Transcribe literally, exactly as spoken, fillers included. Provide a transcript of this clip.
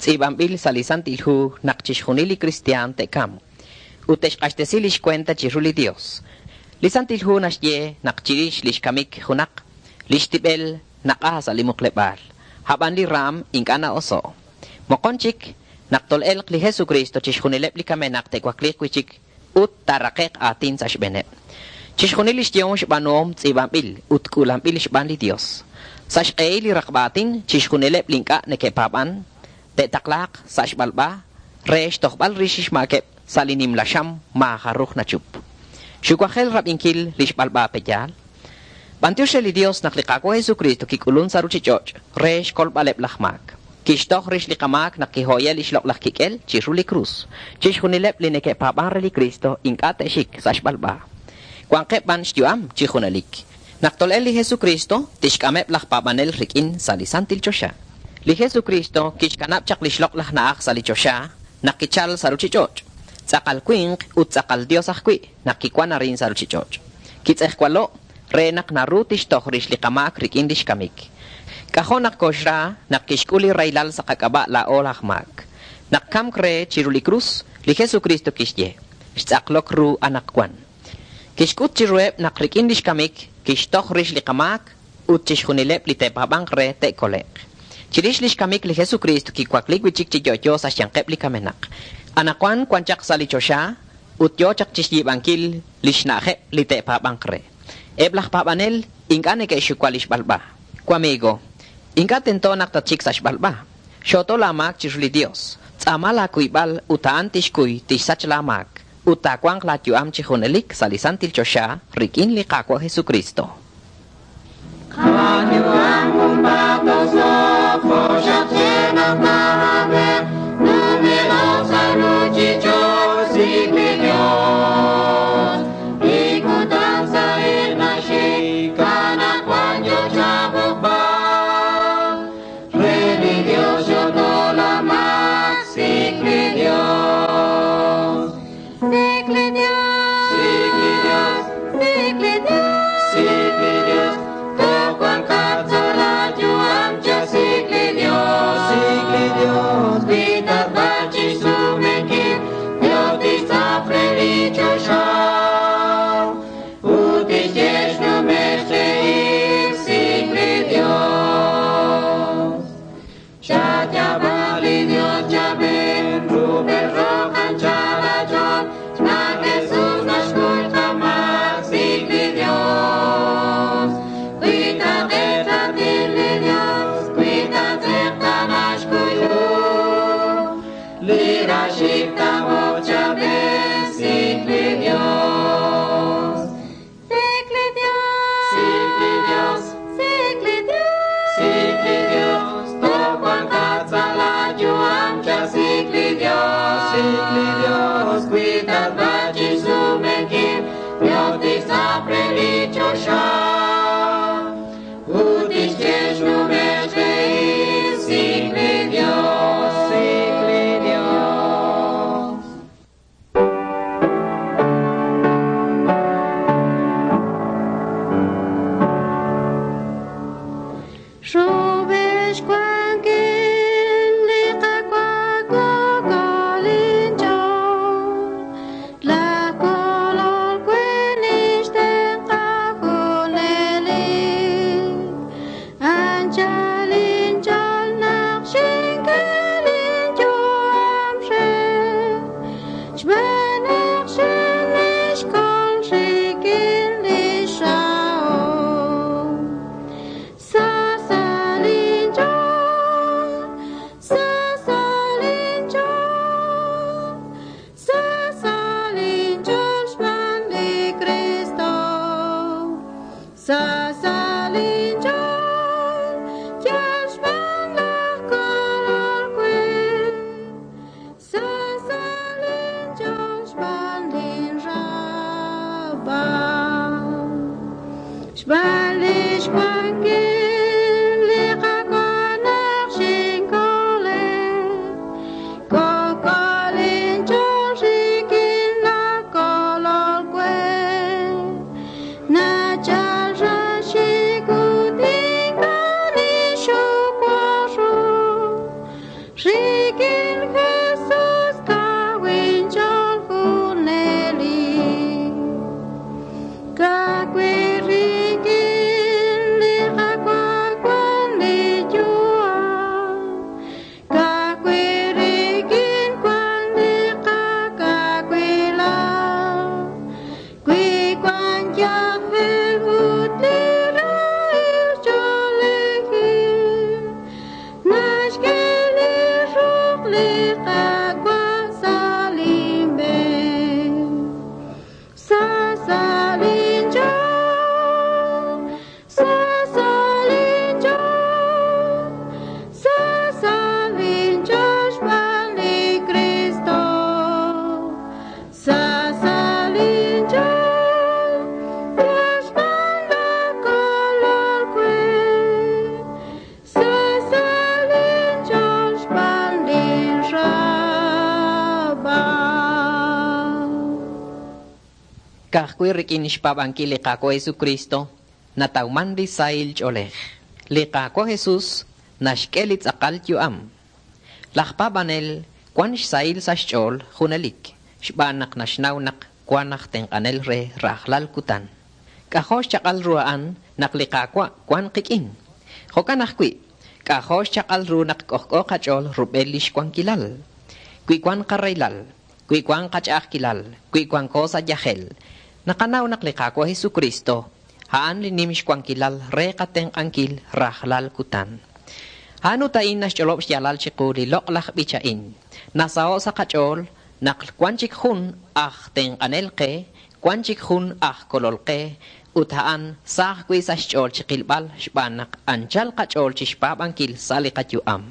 Tz'iib'anb'il sa' li Santil Hu naq chixjunil li kristiaan te'kamq ut te'xq'axtesi lix cuenta chiru li Dios. Li Santil Hu naxye naq chirix lix kamik junaq, lix tib'el naq'a sa' li muqleb'aal, a'b'an li raam ink'a' na'oso'. Moqon chik, naq tol'elq li Jesucristo chixjunileb' li kamenaq te'wakliiq wi'chik ut taaraqe'q aatin sa' xb'eeneb'. Chixjunil lix yehom xb'aanuhom tz'iib'anb'il ut k'uulanb'il xb'aan li Dios. Sa' xq'ehil li raqb'a aatin chixjunileb' li ink'a' neke'paab'an te'taqlaaq sa' xb'alb'a re xtojb'al rix xmaakeb' sa' li nimla xam maajaruj nachup. Xuwajel rab'inkil li xb'alb'a peyaal. B'antiox re li Dios naq li Qaawa' Jesucristo kik'ulun sa' ruchich'och' re xkolb'aleb' laj maak. Kixtoj rix li qamaak naq kihoye lix loq'laj kik'el chiru li krus. Chixjunileb' li neke'paab'an re li Cristo ink'a' te'xik sa' xb'alb'a. Wanqeb' b'an xyu'am chi junelik. Naq tol'el li Jesucristo tixk'ameb' laj paab'anel rik'in sa' li Santil Choxa. Li Jesucristo kixkanab' chaq lix loq'laj na'aj sa' li choxa naq kichal sa' ruchich'och'. Tz'aqal winq ut tz'aqal Dios ajwi' naq kiwan arin sa' ruchich'och'. Kitz'ejwalo' re naq naru tixtoj rix li qamaak rik'in lix kamik. K'ajo' naq koxra naq kixk'ul li raylal sa' qak'ab'a' laa'o laj maak. Naq kamk re chiru li krus, li Jesucristo kixye, xtz'aqlok ru anaqwan. Kixk'ut chiruheb' naq rik'in lix kamik kixtoj rix li qamaak ut chixjunileb' li te'paab'anq re te'kole'q. Chirix lix kamik li Jesucristo kiwakli wi'chik chi yo'yo sa' xyanqeb' li kamenaq. Anaqwan wan chaq sa' li choxa ut yo chaq chixyiib'ankil lix na'ajeb' li te'paab'anq re. Eb' laj paab'anel ink'a' neke'xuwa lix b'alb'a. Wamigo, ink'a' tento naq tatxik sa' xb'alb'a. Xoto laamaak chiru li Dios. Tz'aama laakuyb'al ut a'an tixkuy tixsach laamaak. Ut taawanq laayu'am chi junelik sa' li Santil Choxa rik'in li Qaawa' Jesucristo. Qayu'am junpaat jo'xaq naq numeloq sa' ruchich'och' sik' li Dios. Li kutan sa'il naxik anaqwan yo chab'oqb'al. Re li Dios xoto laamaak sik' li Dios. Sik' li Dios. Sik' li Dios. Sik' li Dios. Sik' li Dios. Toj wanqat sa' laayu'am li Qaawa' sa' linb'een. Sa sa' linch'ool, sa sa' linch'ool, sa sa' linch'ool xb'aan li Kristo. Sa sa' linch'ool, yal xb'aan laj Kolol we. Sa sa' linch'ool xb'aan lin raab'al. Ka'ajwi' rik'in xpaab'ankil li Qaawa' Jesucristo natawman li sahil ch'oolej. Li Qaawa' Jesus naxk'e li tz'aqal yu'am. Laj paab'anel wan xsahil sa' xch'ool junelik xb'aan naq naxnaw naq wan aj tenq'anel re rajlal kutan. K'ajo' xchaq'al ru a'an naq li Qaawa' wan qik'in. Jo'kan ajwi', k'ajo' xchaq'al ru naq k'ojk'o qach'ool rub'el li xwankilal. Wi wan qarahilal, wi wan qach'a'ajkilal, wi wanko sa' yajel, naqanaw naq li Qaawa' Jesucristo a'an li nim xwankilal re qatenq'ankil rajlal kutan. A'an ut a'in naxch'olob' xyaalal chiqu li loq'laj b'ich a'in. Nasaho' sa' qach'ool naq wan chik jun aj tenq'anel qe, wan chik jun aj kolol qe, ut a'an sa ajwi' sa' xch'ool chiqilb'al xb'aan naq anchal qach'ool chixpaab'ankil sa' li qayu'am.